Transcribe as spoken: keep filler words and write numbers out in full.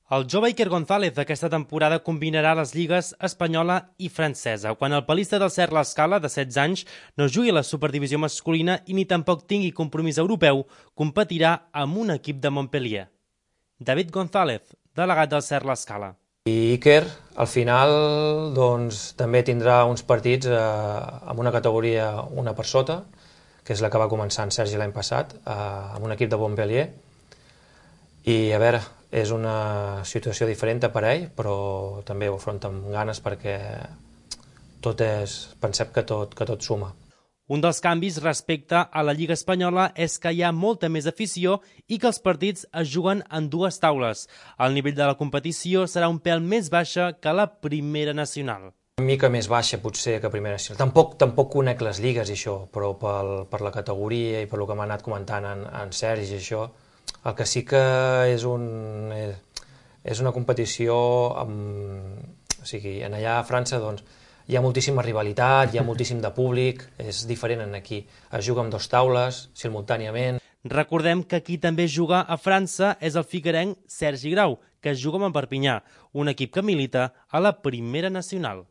El jove Iker González aquesta temporada combinarà les lligues espanyola i francesa, quan el palista del Cert l'Escala, de setze anys, no jugui a la superdivisió masculina i ni tampoc tingui compromís europeu, competirà amb un equip de Montpellier. David González, delegat del Cert l'Escala. I Iker, al final, doncs, també tindrà uns partits eh, amb una categoria una per sota, que és la que va començar en Sergi l'any passat, eh, amb un equip de Montpellier. I, a veure, és una situació diferent per ell, però també ho afronta amb ganes perquè tot és, pensem que tot, que tot suma. Un dels canvis respecte a la Lliga Espanyola és que hi ha molta més afició i que els partits es juguen en dues taules. El nivell de la competició serà un pèl més baixa que la Primera Nacional. Una mica més baixa, potser, que Primera Nacional. Tampoc, tampoc conec les lligues i això, però pel, per la categoria i per el que m'ha anat comentant en, en Sergi i això, el que sí que és, un, és una competició amb, o sigui, en allà a França doncs, hi ha moltíssima rivalitat, hi ha moltíssim de públic, és diferent en aquí. Es juga amb dos taules, simultàniament. Recordem que qui també juga a França és el figuerenc Sergi Grau, que es juga amb el Perpinyà, un equip que milita a la Primera Nacional.